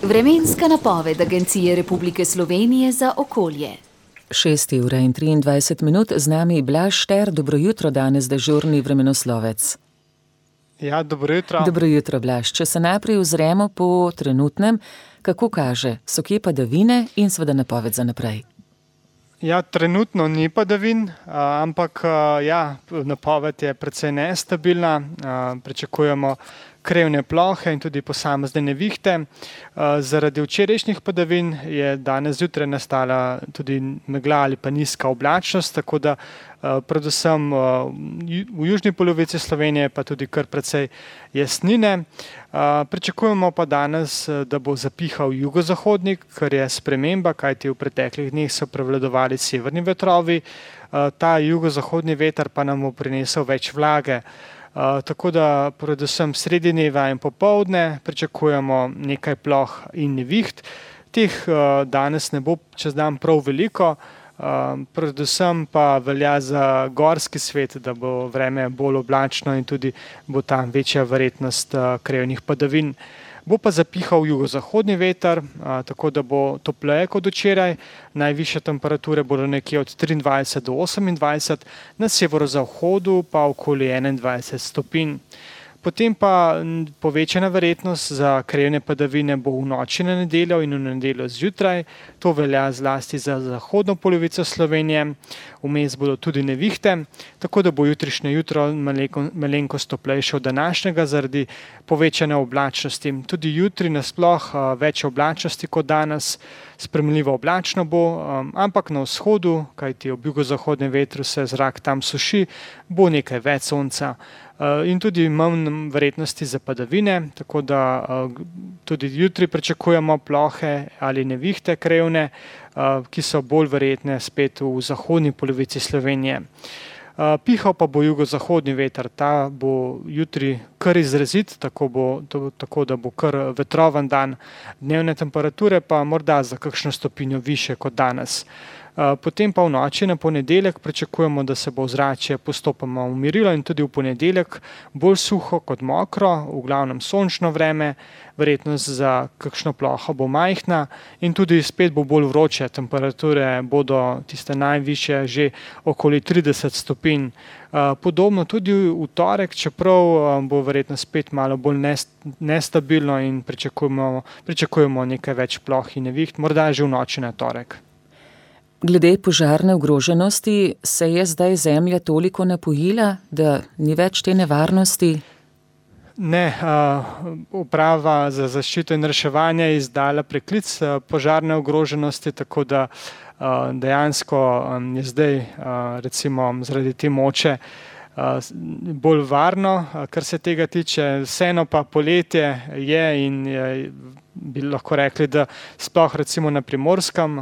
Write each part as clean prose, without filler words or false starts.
Vremenska napoved Agencije Republike Slovenije za okolje. 6:23, z nami Blaž Šter. Dobro jutro, danes dežurni vremenoslovec. Ja, dobro jutro. Dobro jutro, Blaž. Če se najprej ozremo po trenutnem, kako kaže, so kje padavine in seveda napoved za naprej? Ja, trenutno ni padavin, ampak napoved je precej nestabilna. Pričakujemo krevne plohe in tudi posamezne nevihte. Zaradi včerajšnjih padavin je danes zjutraj nastala tudi megla ali pa nizka oblačnost, tako da predvsem v južni polovici Slovenije pa tudi kar precej jasnine. Pričakujemo pa danes, da bo zapihal jugozahodnik, kar je sprememba, kajti v preteklih dneh so prevladovali severni vetrovi. Ta jugozahodni veter pa nam bo prinesel več vlage. Tako da predvsem sredi dneva in popoldne pričakujemo nekaj ploh in neviht. Teh danes ne bo čez dan prav veliko, predvsem pa velja za gorski svet, da bo vreme bolj oblačno in tudi bo tam večja verjetnost krevnih padavin. Bo pa zapihal jugozahodni veter, tako da bo topleje kot včeraj. Najvišje temperature bodo nekje od 23 do 28, na severozahodu pa okoli 21 stopinj. Potem pa povečana verjetnost za krevne padavine bo v noči na nedeljo in v nedeljo zjutraj. To velja zlasti za zahodno polovico Slovenije. Vmes bodo tudi nevihte, tako da bo jutrišnje jutro malenkost toplejše od današnjega zaradi povečane oblačnosti. Tudi jutri nasploh več oblačnosti kot danes, sprejemljivo oblačno bo, ampak na vzhodu, kajti ob jugozahodnem vetru se zrak tam suši, bo nekaj več sonca. In tudi manj verjetnosti za padavine, tako da tudi jutri pričakujemo plohe ali nevihte krevne, ki so bolj verjetne spet v zahodni polovici Slovenije. Pihal pa bo jugozahodni veter, ta bo jutri kar izrazit, tako da bo kar vetroven dan. Dnevne temperature pa morda za kakšno stopinjo više kot danes. Potem pa v noči na ponedeljek pričakujemo, da se bo ozračje postopoma umirilo in tudi v ponedeljek bolj suho kot mokro, v glavnem sončno vreme, verjetnost za kakšno ploho bo majhna in tudi spet bo bolj vroče, temperature bodo tiste najvišje že okoli 30 stopinj. Podobno tudi v torek, čeprav bo verjetno spet malo bolj nestabilno in pričakujemo nekaj več ploh in neviht, morda že v noči na torek. Glede požarne ogroženosti, se je zdaj zemlja toliko napojila, da ni več te nevarnosti? Ne, Uprava za zaščito in reševanje je izdala preklic požarne ogroženosti, tako da dejansko je zdaj recimo zaradi te moče bolj varno, kar se tega tiče. Vseeno pa poletje je in bi lahko rekli, da sploh recimo na Primorskem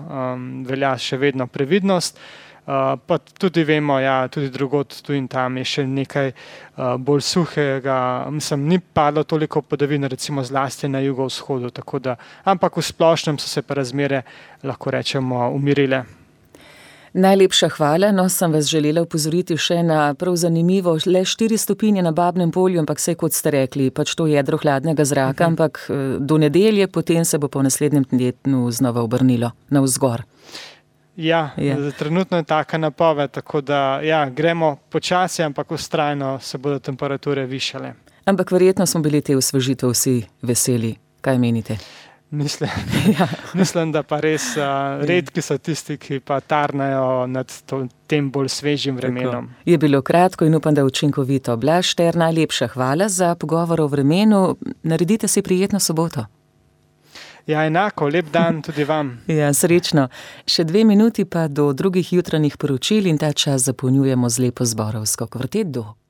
velja še vedno previdnost. Pa tudi vemo, tudi drugod tu in tam je še nekaj bolj suhega, ni padlo toliko padavin, recimo zlasti na jugovzhodu, tako da, ampak v splošnem so se pa razmere, lahko rečemo, umirile. Najlepša hvala, sem vas želela opozoriti še na prav zanimivo, le 4 stopinje na Babnem Polju, ampak vse kot ste rekli, pač to jedro hladnega zraka, ampak do nedelje, potem se bo po naslednjem tednu znova obrnilo navzgor. Ja, trenutno je taka napoved, tako da gremo počasi, ampak vztrajno se bodo temperature višale. Ampak verjetno smo bili te osvežitve vsi veseli. Kaj menite? Mislim, da pa res redki so tisti, ki pa tarnajo nad tem bolj svežim vremenom. Tako. Je bilo kratko in upam, da učinkovito. Blaž Šter, najlepša hvala za pogovor o vremenu. Naredite si prijetno soboto. Ja, enako, lep dan tudi vam. Ja, srečno. Še 2 minuti pa do drugih jutranjih poročil in ta čas zapolnjujemo z lepo zborovsko kvarteto.